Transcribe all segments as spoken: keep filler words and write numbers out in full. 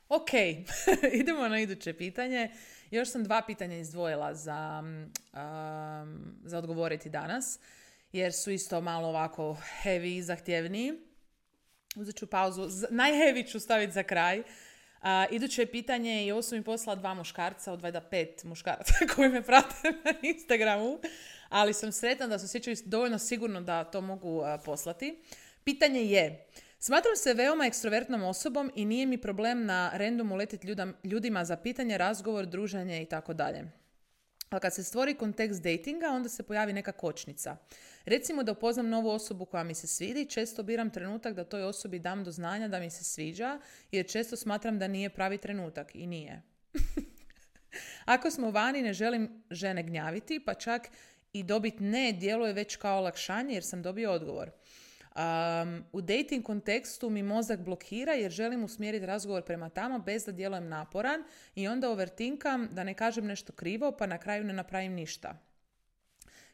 Ok, idemo na iduće pitanje. Još sam dva pitanja izdvojila za, um, za odgovoriti danas, jer su isto malo ovako heavy, zahtjevniji. Uzet ću pauzu. Najheavy ću staviti za kraj. Uh, iduće pitanje je, ovo su mi poslala dva muškarca, od valjda pet muškaraca koji me prate na Instagramu, ali sam sretna da se osjećaju dovoljno sigurno da to mogu uh, poslati. Pitanje je: smatram se veoma ekstrovertnom osobom i nije mi problem na randomu letiti ljudima za pitanje, razgovor, druženje i tako dalje. Ali kad se stvori kontekst datinga, onda se pojavi neka kočnica. Recimo da upoznam novu osobu koja mi se svidi, često biram trenutak da toj osobi dam do znanja da mi se sviđa, jer često smatram da nije pravi trenutak i nije. Ako smo vani, ne želim žene gnjaviti, pa čak i dobiti ne djeluje već kao olakšanje jer sam dobio odgovor. Um, u dating kontekstu mi mozak blokira jer želim usmjeriti razgovor prema tamo bez da djelujem naporan i onda overtinkam da ne kažem nešto krivo pa na kraju ne napravim ništa.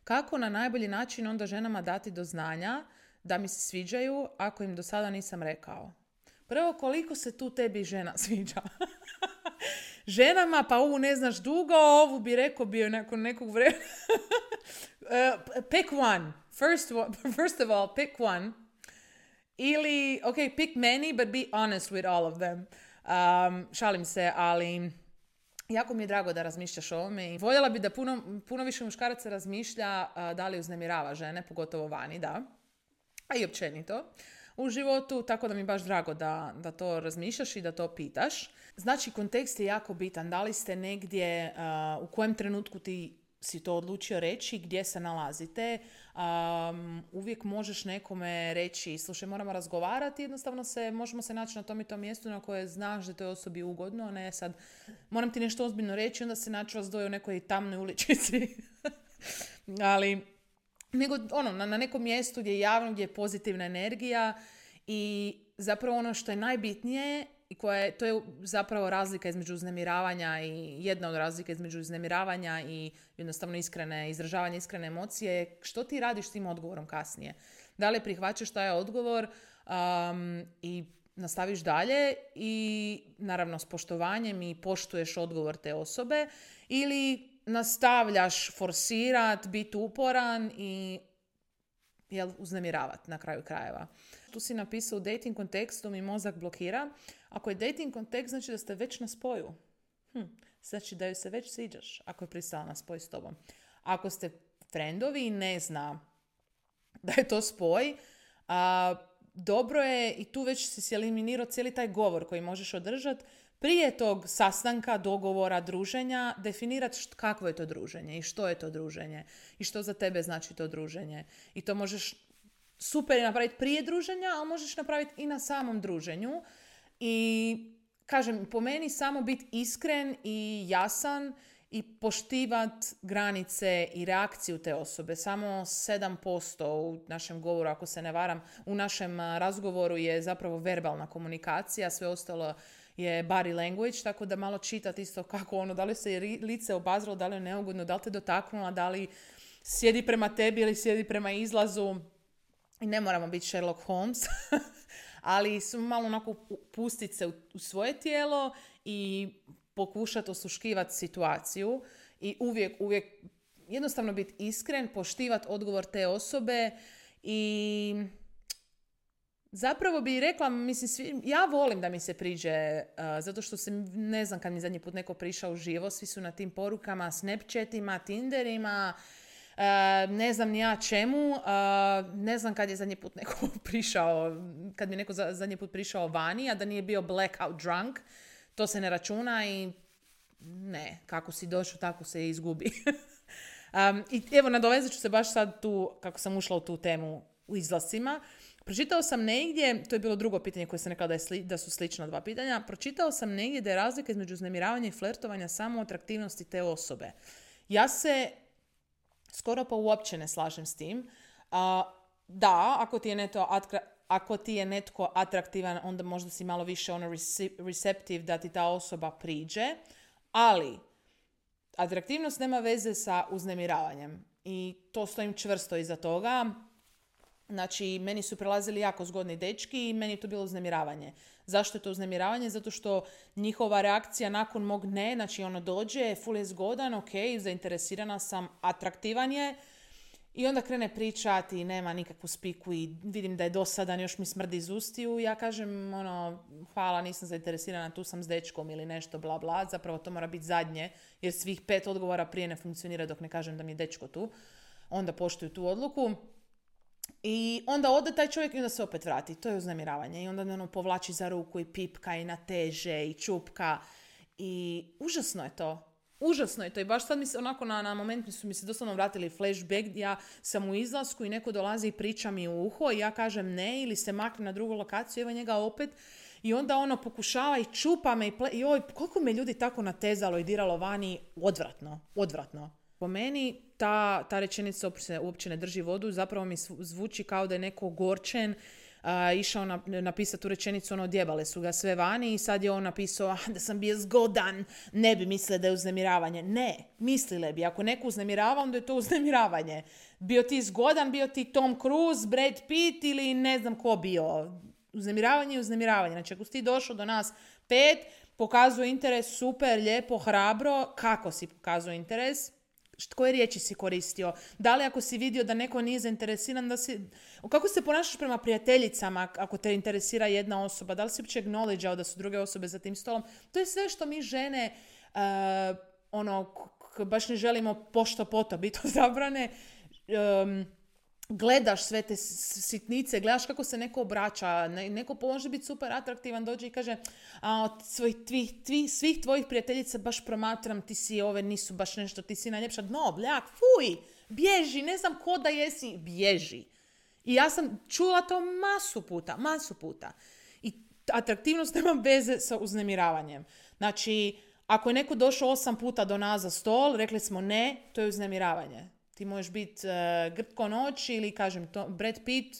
Kako na najbolji način onda ženama dati do znanja da mi se sviđaju ako im do sada nisam rekao? Prvo, koliko se tu tebi žena sviđa? Ženama, pa ovu ne znaš dugo, ovu bi rekao bio nakon nekog vremena. uh, pick one. First, one. First of all, pick one. Ili, ok, pick many, but be honest with all of them. Um, šalim se, ali jako mi je drago da razmišljaš o ovome. I voljela bi da puno, puno više muškaraca razmišlja uh, da li uznemirava žene, pogotovo vani, da. A i općenito u životu, tako da mi je baš drago da, da to razmišljaš i da to pitaš. Znači, kontekst je jako bitan. Da li ste negdje, uh, u kojem trenutku ti si to odlučio reći, gdje se nalazite. Um, uvijek možeš nekome reći, slušaj, moramo razgovarati, jednostavno se, možemo se naći na tom i tom mjestu na koje znaš da to je osobi ugodno, ne sad, moram ti nešto ozbiljno reći, onda se naći vas dvoje u nekoj tamnoj uličici. Ali, nego ono, na, na nekom mjestu gdje je javno, gdje je pozitivna energija i zapravo ono što je najbitnije i koja je, to je zapravo razlika između uznemiravanja i jedna od razlika između uznemiravanja i jednostavno iskrene, izražavanja iskrene emocije, što ti radiš s tim odgovorom kasnije. Da li prihvaćaš taj odgovor um, i nastaviš dalje i naravno s poštovanjem i poštuješ odgovor te osobe, ili nastavljaš forsirat, biti uporan i jel, uznemiravati na kraju krajeva. Tu si napisao u dating kontekstu mi mozak blokira. Ako je dating kontekst, znači da ste već na spoju. Hm, znači da joj se već sviđaš ako je pristala na spoj s tobom. Ako ste friendovi i ne zna da je to spoj, a, dobro je i tu već si eliminirao cijeli taj govor koji možeš održati. Prije tog sastanka, dogovora, druženja, definirati kakvo je to druženje i što je to druženje i što za tebe znači to druženje. I to možeš super je napraviti prije druženja, ali možeš napraviti i na samom druženju. I kažem, po meni samo biti iskren i jasan i poštivati granice i reakciju te osobe. Samo sedam posto u našem govoru, ako se ne varam, u našem razgovoru je zapravo verbalna komunikacija, sve ostalo je body language, tako da malo čitati isto kako ono, da li se je lice obazralo, da li je neugodno, da li te dotaknula, da li sjedi prema tebi ili sjedi prema izlazu. I ne moramo biti Sherlock Holmes, ali su malo onako pustiti se u, u svoje tijelo i pokušati osluškivati situaciju i uvijek, uvijek jednostavno biti iskren, poštivati odgovor te osobe i zapravo bi rekla, mislim, svi, ja volim da mi se priđe, uh, zato što se, ne znam kad mi zadnji put neko prišao uživo, svi su na tim porukama, Snapchatima, Tinderima, uh, ne znam ni ja čemu, uh, ne znam kad je zadnji put neko prišao, kad mi neko za, zadnji put prišao vani, a da nije bio blackout drunk, to se ne računa i ne, kako si došao, tako se izgubi. um, I evo, nadovezat ću se baš sad tu, kako sam ušla u tu temu u izlascima. Pročitao sam negdje, to je bilo drugo pitanje koje sam rekla da, je sli, da su slična dva pitanja, pročitao sam negdje da je razlika između uznemiravanja i flertovanja samo u atraktivnosti te osobe. Ja se skoro pa uopće ne slažem s tim. Uh, da, ako ti je neto atkra, ako ti je netko atraktivan, onda možda si malo više ono receptive da ti ta osoba priđe, ali atraktivnost nema veze sa uznemiravanjem i to stojim čvrsto iza toga. Znači, meni su prelazili jako zgodni dečki i meni je to bilo uznemiravanje. Zašto je to uznemiravanje? Zato što njihova reakcija nakon mog ne, znači ono dođe, ful je zgodan, ok, zainteresirana sam, atraktivan je, i onda krene pričati i nema nikakvu spiku i vidim da je dosadan, još mi smrdi iz ustiju. Ja kažem, ono, hvala, nisam zainteresirana, tu sam s dečkom ili nešto, bla, bla. Zapravo to mora biti zadnje, jer svih pet odgovora prije ne funkcionira dok ne kažem da mi je dečko tu. Onda poštuju tu odluku. I onda ode taj čovjek i onda se opet vrati. To je uznemiravanje. I onda ono povlači za ruku i pipka i nateže i čupka. I užasno je to. Užasno je to i baš sad mi se onako na, na moment mi su mi se doslovno vratili flashback, ja sam u izlasku i neko dolazi i priča mi u uho i ja kažem ne ili se makne na drugu lokaciju, evo njega opet i onda ono pokušava i čupa me i, ple, i oj, koliko me ljudi tako natezalo i diralo vani, odvratno, odvratno. Po meni ta, ta rečenica uopće, uopće ne drži vodu, zapravo mi zvuči kao da je neko ogorčen, Uh, išao na, napisati tu rečenicu, ono, odjebale su ga sve vani i sad je on napisao ah, da sam bio zgodan, ne bi mislile da je uznemiravanje. Ne, mislile bi. Ako neko uznemirava, onda je to uznemiravanje. Bio ti zgodan, bio ti Tom Cruise, Brad Pitt ili ne znam ko bio. Uznemiravanje je uznemiravanje. Znači, ako si ti došao do nas pet, pokazuje interes, super, lijepo, hrabro, kako si pokazuje interes? Koje riječi si koristio? Da li ako si vidio da neko nije zainteresiran, da si... Kako se ponašaš prema prijateljicama ako te interesira jedna osoba? Da li si uopće acknowledgeao da su druge osobe za tim stolom? To je sve što mi žene uh, ono, k- baš ne želimo pošto poto biti odabrane. Um, gledaš sve te sitnice, gledaš kako se neko obraća, neko može biti super atraktivan, dođe i kaže a od svojih, tvih, tvih, svih tvojih prijateljica baš promatram, ti si ove, nisu baš nešto, ti si najljepša, no, bljak, fuj, bježi, ne znam ko da jesi, bježi. I ja sam čula to masu puta, masu puta. I atraktivnost nema veze sa uznemiravanjem. Znači, ako je neko došao osam puta do nas za stol, rekli smo ne, to je uznemiravanje. Ti možeš biti uh, grtko noć ili, kažem, to, Brad Pitt,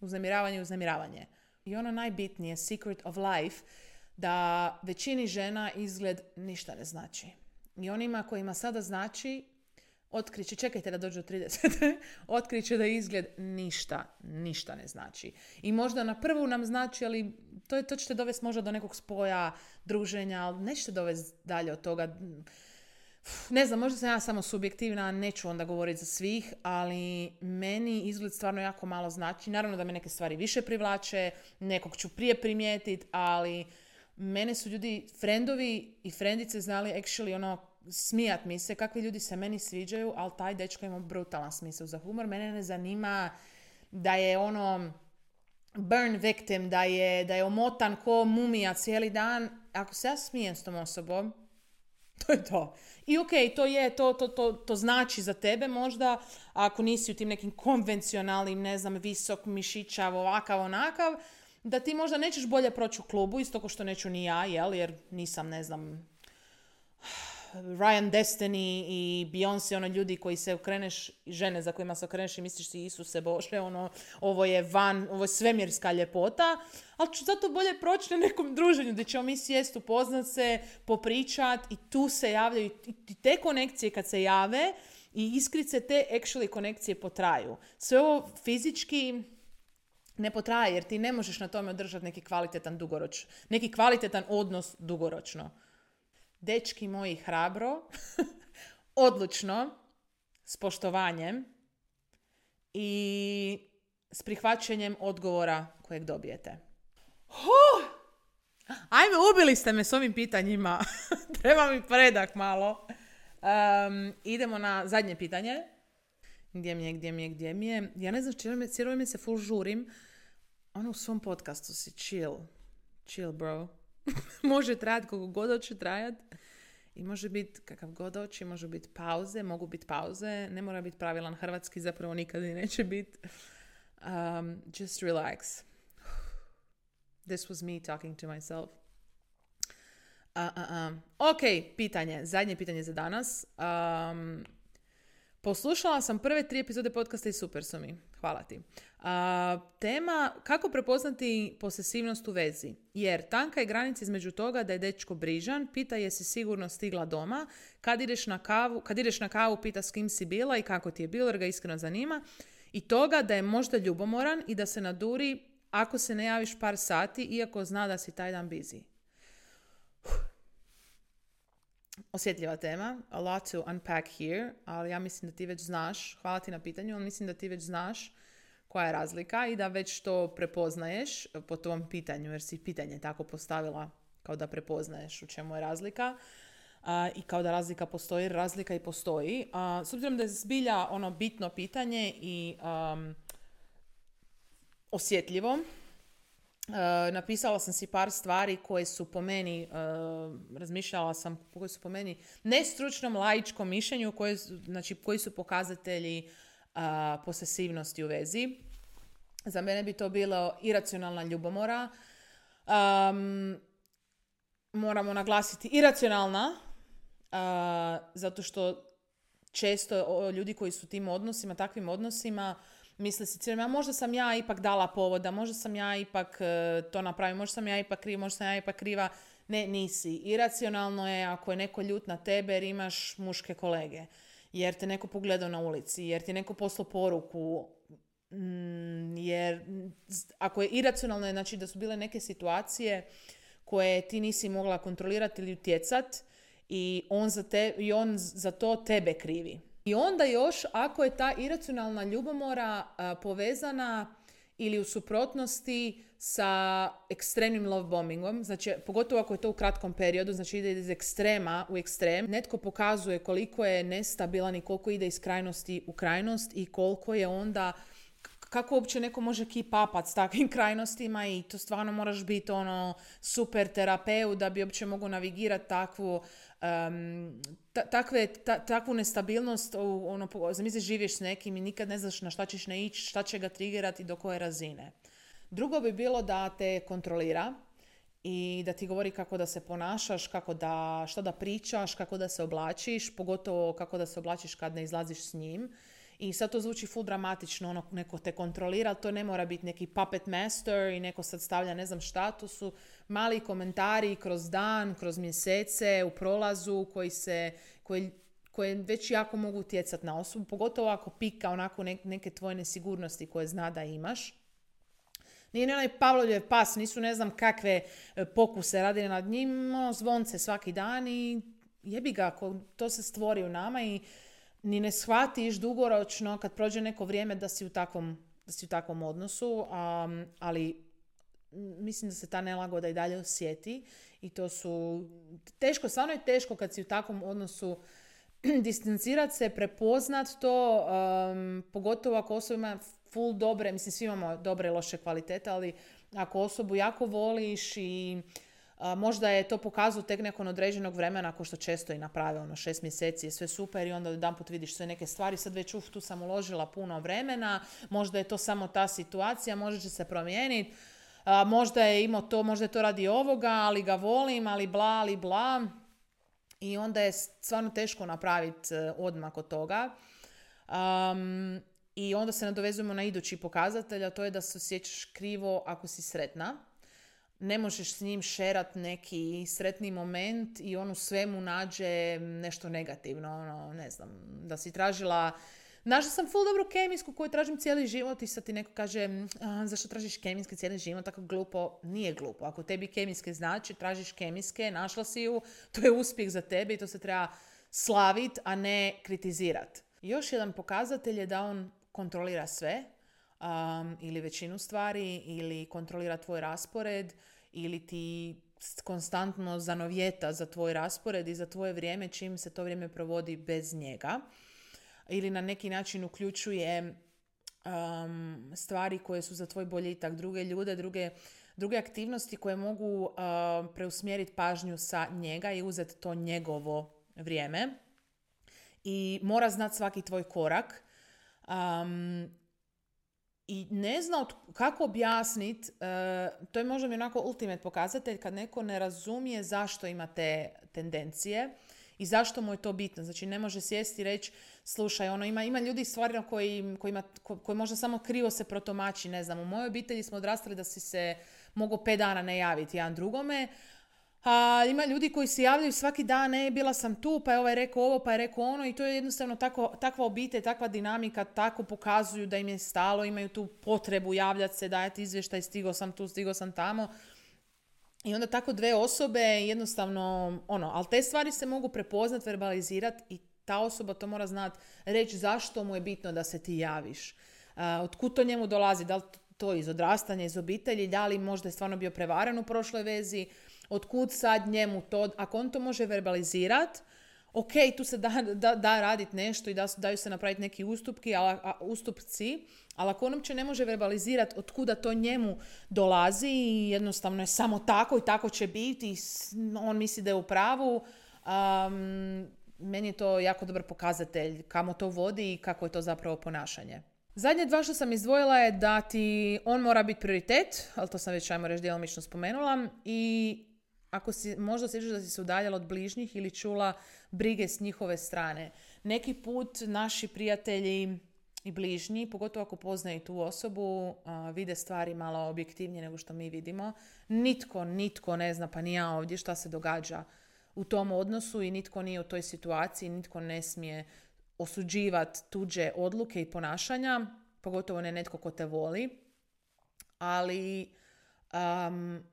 uznemiravanje, uznemiravanje. I ono najbitnije, secret of life, da većini žena izgled ništa ne znači. I onima kojima sada znači, otkriće, čekajte da dođu do tridesete, otkriće da izgled ništa, ništa ne znači. I možda na prvu nam znači, ali to, to ćete dovesti možda do nekog spoja, druženja, ali nećete dovesti dalje od toga. Ne znam, možda sam ja samo subjektivna, neću onda govoriti za svih, ali meni izgled stvarno jako malo znači. Naravno da me neke stvari više privlače, nekog ću prije primijetiti, ali mene su ljudi, frendovi i frendice znali actually ono, smijat mi se, kakvi ljudi se meni sviđaju, ali taj dečko ima brutalan smisao za humor. Mene ne zanima da je ono burn victim, da je, da je omotan ko mumija cijeli dan. Ako se ja smijem s tom osobom, to je to. I ok, to je, to, to, to, to znači za tebe možda, ako nisi u tim nekim konvencionalnim, ne znam, visok, mišićav, ovakav, onakav, da ti možda nećeš bolje proći u klubu, isto ko što neću ni ja, jel, jer nisam, ne znam, Ryan Destiny i Beyoncé, ono ljudi koji se okreneš, žene za kojima se okreneš i misliš si Isuse Bože, ono, ovo je van, ovo je svemirska ljepota, ali ću zato bolje proći na nekom druženju gdje ćemo mi sjest, upoznat se, popričat i tu se javljaju i te konekcije kad se jave i iskrice te actually konekcije potraju. Sve ovo fizički ne potraje jer ti ne možeš na tome održati neki kvalitetan dugoroč, neki kvalitetan odnos dugoročno. Dečki moji, hrabro, odlučno, s poštovanjem i s prihvaćanjem odgovora kojeg dobijete. Huh! Ajme, ubili ste me s ovim pitanjima. Treba mi predak malo. Um, idemo na zadnje pitanje. Gdje mi je, gdje mi je, gdje mi je. Ja ne znam, cijelo ime se full žurim. Ono u svom podcastu si chill. Chill, bro. Može trajati koliko god hoće trajati i može biti kakav god hoće, može biti pauze, mogu biti pauze, ne mora biti pravilan hrvatski, zapravo nikad i neće biti. Um, just relax. This was me talking to myself. Uh, uh, uh. Ok, pitanje, zadnje pitanje za danas. Um, Poslušala sam prve tri epizode podcasta i super su mi. Hvala ti. A, tema kako prepoznati posesivnost u vezi. Jer tanka je granica između toga da je dečko brižan, pita jesi sigurno stigla doma, kad ideš na kavu, kad ideš na kavu pita s kim si bila i kako ti je bilo jer ga iskreno zanima. I toga da je možda ljubomoran i da se naduri ako se ne javiš par sati, iako zna da si taj dan busy. Osjetljiva tema, a lot to unpack here, ali ja mislim da ti već znaš, hvala ti na pitanju, ali mislim da ti već znaš koja je razlika i da već to prepoznaješ po tom pitanju, jer si pitanje tako postavila kao da prepoznaješ u čemu je razlika. Uh, i kao da razlika postoji, razlika i postoji. Uh, s obzirom da je zbilja ono bitno pitanje i um, osjetljivo, uh, napisala sam si par stvari koje su po meni, uh, razmišljala sam koje su po meni nestručnom, laičkom mišljenju, koje, znači, koji su pokazatelji uh, posesivnosti u vezi. Za mene bi to bilo iracionalna ljubomora. Um, moramo naglasiti iracionalna, Uh, zato što često o, ljudi koji su tim odnosima, takvim odnosima, misle si cijelo, možda sam ja ipak dala povoda, možda sam ja ipak uh, to napravila, možda sam ja ipak kriva, možda sam ja ipak kriva. Ne, nisi. Iracionalno je ako je neko ljut na tebe jer imaš muške kolege, jer te neko pogledao na ulici, jer ti neko poslao poruku, mm, jer ako je iracionalno je znači da su bile neke situacije koje ti nisi mogla kontrolirati ili utjecati, i on, za te, i on za to tebe krivi. I onda još ako je ta iracionalna ljubomora a, povezana ili u suprotnosti sa ekstremnim love bombingom, znači pogotovo ako je to u kratkom periodu, znači ide iz ekstrema u ekstrem, netko pokazuje koliko je nestabilan i koliko ide iz krajnosti u krajnost i koliko je onda, kako uopće neko može keep upat s takvim krajnostima i to stvarno moraš biti ono super terapeut da bi uopće mogu navigirati takvu um, ta, takve, ta, takvu nestabilnost. Ono, zamisli živiš s nekim i nikad ne znaš na šta ćeš ne ići, šta će ga triggerati do koje razine. Drugo bi bilo da te kontrolira i da ti govori kako da se ponašaš, kako da, šta da pričaš, kako da se oblačiš, pogotovo kako da se oblačiš kad ne izlaziš s njim. I sad to zvuči full dramatično, ono, neko te kontrolira, to ne mora biti neki puppet master i neko sad stavlja ne znam šta, to su mali komentari kroz dan, kroz mjesece, u prolazu koji se, koji, koje već jako mogu utjecati na osobu, pogotovo ako pika onako neke tvoje nesigurnosti koje zna da imaš. Nije ne onaj Pavlovljev pas, nisu ne znam kakve pokuse radili nad njim, ono, zvonce svaki dan i jebi ga, ako to se stvori u nama i ni ne shvatiš dugoročno kad prođe neko vrijeme da si u takvom, da si u takvom odnosu, um, ali mislim da se ta nelagoda i dalje osjeti i to su teško, stvarno je teško kad si u takvom odnosu distancirati se, prepoznat to, um, pogotovo ako osoba ima full dobre, mislim svi imamo dobre i loše kvalitete, ali ako osobu jako voliš i a, možda je to pokazao tek nakon određenog vremena, ako što često i naprave, ono šest mjeseci je sve super i onda jedanput vidiš sve neke stvari, sad već uf, tu sam uložila puno vremena, možda je to samo ta situacija, možda će se promijeniti, a, možda je imao to, možda je to radi ovoga, ali ga volim, ali bla, ali bla. I onda je stvarno teško napraviti odmak od toga. Um, I onda se nadovezujemo na idući pokazatelj, a to je da se osjećaš krivo ako si sretna. Ne možeš s njim šerat neki sretni moment i on u svemu nađe nešto negativno. Ono, ne znam, da si tražila... Našla sam full dobru kemijsku koju tražim cijeli život i sad ti neko kaže zašto tražiš kemijske cijeli život, tako glupo. Nije glupo. Ako tebi kemijske znači, tražiš kemijske, našla si ju, to je uspjeh za tebe i to se treba slaviti, a ne kritizirati. Još jedan pokazatelj je da on kontrolira sve um, ili većinu stvari ili kontrolira tvoj raspored ili ti konstantno zanovjeta za tvoj raspored i za tvoje vrijeme čim se to vrijeme provodi bez njega. Ili na neki način uključuje um, stvari koje su za tvoj boljitak, druge ljude, druge, druge aktivnosti koje mogu uh, preusmjeriti pažnju sa njega i uzeti to njegovo vrijeme. I mora znati svaki tvoj korak. Um, I ne zna kako objasniti, uh, to je možda mi onako ultimate pokazatelj kad neko ne razumije zašto ima te tendencije i zašto mu je to bitno. Znači ne može sjesti i reći slušaj, ono, ima, ima ljudi stvarno koji, koji, ko, koji možda samo krivo se protumači. Ne znam, u mojoj obitelji smo odrastali da si se mogao pet dana ne javiti jedan drugome, A, ima ljudi koji se javljaju svaki dan, e, bila sam tu, pa je ovaj rekao ovo, pa je rekao ono, i to je jednostavno tako, takva obitelj, takva dinamika, tako pokazuju da im je stalo, imaju tu potrebu javljati se, dajati izvještaj, stigao sam tu, stigao sam tamo. I onda tako dve osobe jednostavno, ono, ali te stvari se mogu prepoznat, verbalizirati i ta osoba to mora znati, reći zašto mu je bitno da se ti javiš. Uh, otkud to njemu dolazi, da li to iz odrastanja, iz obitelji, da li možda je stvarno bio prevaren u prošloj vezi, otkud sad njemu to, ako on to može verbalizirati, ok, tu se da, da, da raditi nešto i da, daju se napraviti neki ustupki, ali, a, ustupci, ali ako on uopće ne može verbalizirati otkuda to njemu dolazi i jednostavno je samo tako i tako će biti i on misli da je u pravu, um, meni je to jako dobar pokazatelj kamo to vodi i kako je to zapravo ponašanje. Zadnje dva što sam izdvojila je da ti on mora biti prioritet, ali to sam već, ajmo reći, djelomično spomenula, i ako si možda osjećaš da si se udaljala od bližnjih ili čula brige s njihove strane. Neki put naši prijatelji i bližnji, pogotovo ako poznaju tu osobu, uh, vide stvari malo objektivnije nego što mi vidimo. Nitko, nitko ne zna, pa ni ja ovdje, šta se događa u tom odnosu i nitko nije u toj situaciji, nitko ne smije osuđivati tuđe odluke i ponašanja, pogotovo ne netko ko te voli. Ali um,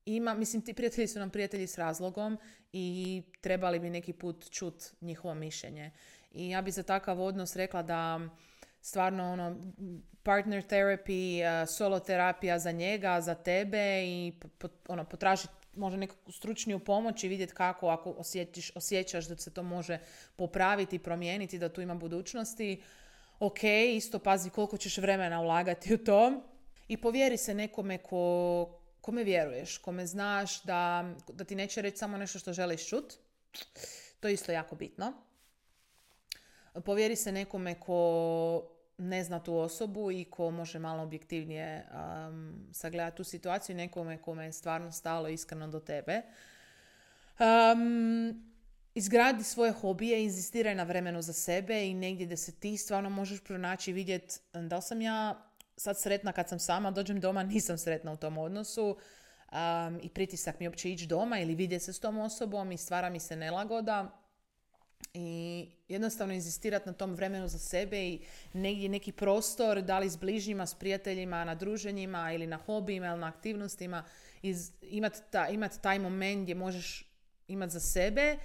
ima, mislim, ti prijatelji su nam prijatelji s razlogom i trebali bi neki put čut njihovo mišljenje. I ja bi za takav odnos rekla da stvarno ono, partner therapy, uh, solo terapija za njega, za tebe i po, ono, potražiti možda nekakvu stručniju pomoć i vidjeti kako, ako osjetiš, osjećaš da se to može popraviti i promijeniti, da tu ima budućnosti. Ok, isto pazi koliko ćeš vremena ulagati u to i povjeri se nekome ko, kome vjeruješ, kome znaš da, da ti neće reći samo nešto što želiš čut. To je isto jako bitno. Povjeri se nekome ko ne zna tu osobu i ko može malo objektivnije um, sagledati tu situaciju, nekome kome je stvarno stalo iskreno do tebe. Um, izgradi svoje hobije, inzistiraj na vremenu za sebe i negdje gdje se ti stvarno možeš pronaći i vidjeti da li sam ja sad sretna kad sam sama, dođem doma, nisam sretna u tom odnosu um, i pritisak mi uopće ići doma ili vidjeti se s tom osobom i stvara mi se nelagoda. I jednostavno inzistirati na tom vremenu za sebe i negdje neki prostor, da li s bližnjima, s prijateljima, na druženjima ili na hobijima ili na aktivnostima, imati ta, imat taj moment gdje možeš imati za sebe,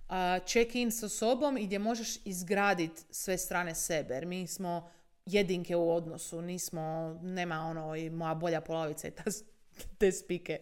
uh, check in sa sobom i gdje možeš izgraditi sve strane sebe. Jer mi smo jedinke u odnosu, nismo, nema ono i moja bolja polovica i ta, te spike.